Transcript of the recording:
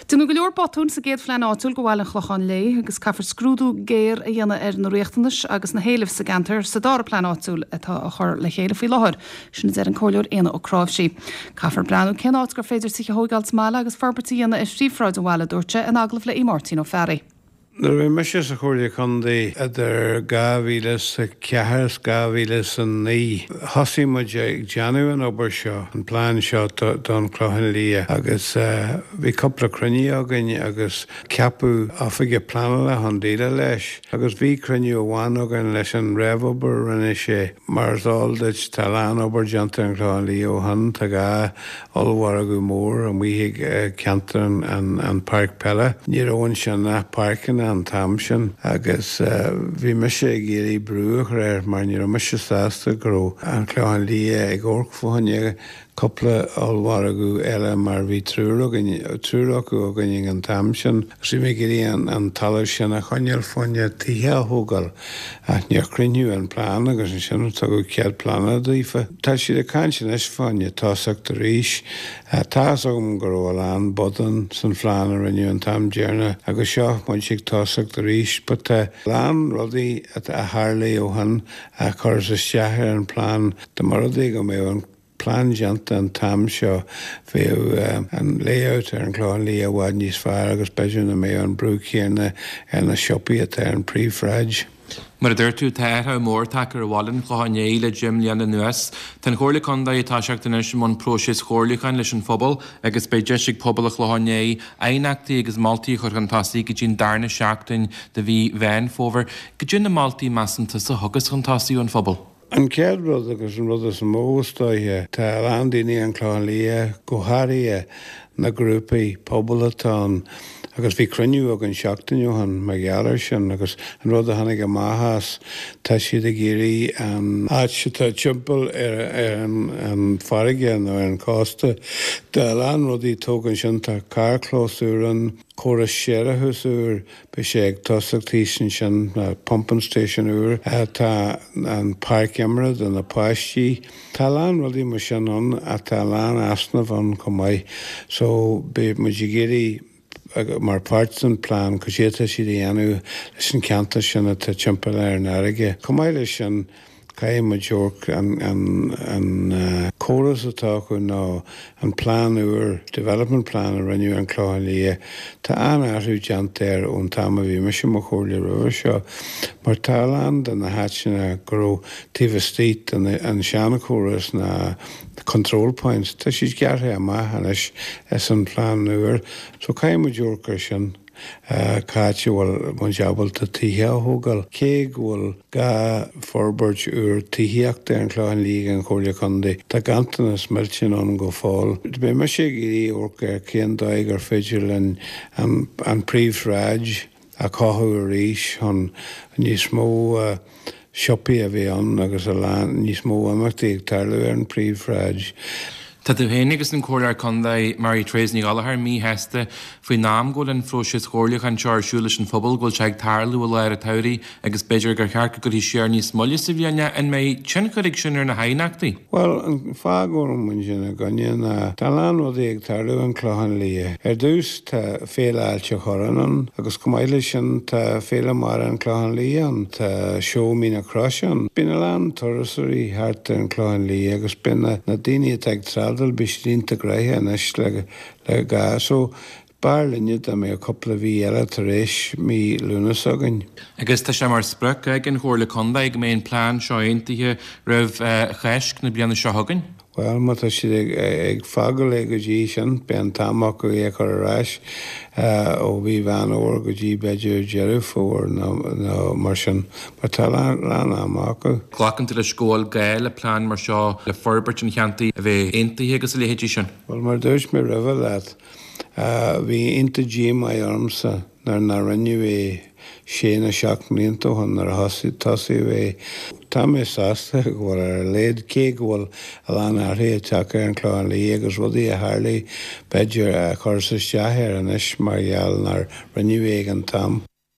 Déanadh go leor botúin sa gcéad phlean áitiúil do bhaile an Chlocháin Léith agus caithfear scrúdú géar a dhéanamh ar na riachtanais agus na héilimh sa gceantar sa dara plean áitiúil atá á chur le chéile faoi láthair, sin a deir an Comhairleoir Éanna Ó Cnáimhsí. Caithfear breathnú cén áit gur féidir tithe a thóigeáil sa mbaile agus forbairt a dhéanamh ar phríomhshráid an bhaile, a dúirt sé in agallamh le Máirtín Ó Fearraigh. Nuair a bhí mise sa Chomhairle Contae idir 2004 is 2009, thosaigh muid ag déanamh an obair seo, an plean seo don Chlochán Liath agus bhí cúpla cruinniú againn agus ceapadh oifigeach pleanála chun déileáil leis agus bhí cruinniú amháin againn leis an réamhobair a rinne sé. Mar is eol duit tá a lán obair déanta ar an Chlochán Liath ó shin, tá 2 ollmhargadh mór amuigh ag ceantar an páirc peile. Ní raibh ansin ach páirceanna an t-am sin agus bhí mise ag iarraidh brú a chur air mar ní raibh mise sásta go raibh an Clochán Liath ag amharc fá choinne cúpla ollmhargadh eile mar bhí triúr againn, triúr acu againn ag an t-am sin agus bhí mé ag iarraidh an talamh sin a choinneáil fá choinne tithe a thógáil ach níor críochnaíodh an plean agus ansin tugadh cead pleanála daofa. Tá siad ag caint anois fá choinne tosacht arís. Tá's agam go raibh a lán botún san phlean a rinneadh an t-am deireanach agus seo muid ag tosacht arís but tá a lán rudaí a tharlaigh ó shin a chuireas isteach ar an plean. Dá mba rud é go mbeadh an plean déanta an t-am seo bheadh an layout ar an Chlochán Liath i bhfad níos fearr agus b'fhéidir nach mbeadh an brú céanna ar na siopaí atá ar an príomhshráid. Mar a dúirt tú, tá athrú mór tagtha ar bhaile an Chlocháin Léith le deich mbliana anuas. Tá an Chomhairle Contae ag toiseacht anois i mbun próiseas chomhairliúcháin leis an phobal agus beidh deis ag pobal an Chlocháin Léith aighneachtaí agus moltaí a chur chun tosaigh go dtí an darna seachtain de mhí Mheán Fómhair. Goidé na moltaí measann tusa a thiocfas chun tosaigh ón phobal? An chéad rud agus an rud is mó is dóiche, tá a lán daoine an Clochán Liath, go háirithe na grúpaí pobail atá ann agus bhí cruinniú againn seachtain ó shin mar gheall air sin agus an rud a tháinig amach as, tá siad ag iarraidh an áit atá timpeall ar an farraige nó ar an chósta, tá a lán rudaí tógtha ansin, tá carrchlós úr ann, córas séarachais úr, Beidh sé ag tosacht thíos ansin, pumping station úr, tá an páirc imeartha do na páistí. Tá a lán rudaí mar sin ann ach tá a lán easnamh ann chomh maith. So beidh muid ag iarraidh mar pháirt den plean cad é atá siad a dhéanamh leis an ceantar sin atá timpeall ar an fharraige. Chomh maith leis sin, Caithfidh muid amharc an córas atá acu nó an plean úr, development plan a rinneadh ar an Clochán Liath, tá an-athrú déanta air ón t-am a bhí mise i mo chomhairleoir roimhe seo mar tá a lán de na háiteanna go raibh taobh istigh den an seanchóras na control points, tá siad gearrtha amach anois as an phlean úr so caithfidh muid amharc air sin. Cá háit a bhfuil muid ábalta tithe a thógáil? Cé go bhfuil gá forbairt úr tithíochta ar an Chlochán Liath ag an Chomhairle Contae, tá ganntanas millteanach ann go fóill. Beidh mise ag iarraidh amharc ar cén dóigh gur féidir linn an príomhshráid a chothú arís chun níos mó siopaí a bheith ann agus a lán níos mó imeachtaí ag tarlú ar an phríomhshráid. Tá tú féin agus an Comhairleoir Contae Mary Therese Ní Ghallchóir míshásta faoin am go bhfuil an phróiseas chomhairliúcháin seo ar siúl leis an phobal, go bhfuil sé ag tarlú i lár an tsamhraidh agus b'fhéidir gur cheart go gcuirfí siar níos moille sa bhliain é. An mbeidh tionchar ag sin ar na haighneachtaí? Bhuel, an fáth go bhfuil muid ina gcoinne ná tá a lán rudaí ag tarlú an Clochán Liath. Ar dtús, Tá Féile Ailt an Chorráin ann agus chomh maith leis sin tá Féile Mara an Clochán Liath ann, tá Seó Mín na Croise ann. Bíonn a lán turasóirí thart ar an Clochán Liath agus bíonn na na daoine atá ag trádáil bíonn siad iontach gnoitheach anois le le gá so b'fhearr linne dá mbeadh cúpla mhí eile tar éis mí Lúnasa againn. Agus tá sé mar sprioc ag an Chomhairle Contae go mbeidh an plean seo aontaithe roimh Cháisc na bliana seo chugainn. Bhuel, má tá siad ag fágáil é go dtí sin, beidh an t-am acu é a chur ar ais ó mhí Mheán Fhómhair go dtí b'fhéidir Deireadh Fómhair nó mar sin, mar tá a lán ama acu. Glacann tú leis go bhfuil gá le plean mar seo le forbairt an cheantair a bheith aontaithe agus a leithéidí sin? Bhuel, mar a dúirt mé roimhe leat, bhí iontach díomá ormsa nuair nár rinneadh é sé nó 7 mblianta ó shin nuair a tosaíodh é. Tá mé sásta go bhfuil ar a laghad, cé go bhfuil a lán athruithe tagtha ar an Chlochán Liath agus rudaí a tharlaigh b'fhéidir a chuireas isteach air anois mar gheall nár rinneadh é ag an t-am.